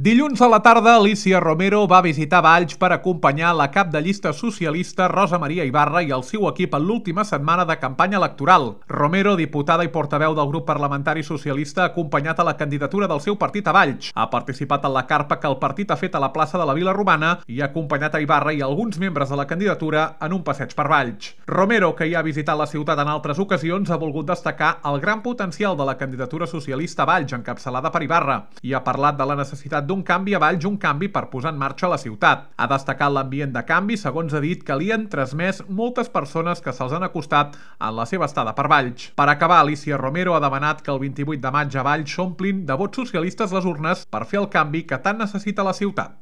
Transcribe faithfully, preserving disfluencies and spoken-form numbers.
Dilluns a la tarda, Alícia Romero va visitar Valls per acompanyar la cap de llista socialista Rosa Maria Ibarra i el seu equip en l'última setmana de campanya electoral. Romero, diputada i portaveu del grup parlamentari socialista, ha acompanyat a la candidatura del seu partit a Valls. Ha participat en la carpa que el partit ha fet a la plaça de la Vila Romana i ha acompanyat a Ibarra i alguns membres de la candidatura en un passeig per Valls. Romero, que ja ha visitat la ciutat en altres ocasions, ha volgut destacar el gran potencial de la candidatura socialista a Valls, encapçalada per Ibarra, i ha parlat de la necessitat d'un canvi a Valls, un canvi per posar en marxa la ciutat. Ha destacat l'ambient de canvi, segons ha dit, que li han transmès moltes persones que se'ls han acostat en la seva estada per Valls. Per acabar, Alícia Romero ha demanat que el vint-i-vuit de maig a Valls s'omplin de vots socialistes les urnes per fer el canvi que tant necessita la ciutat.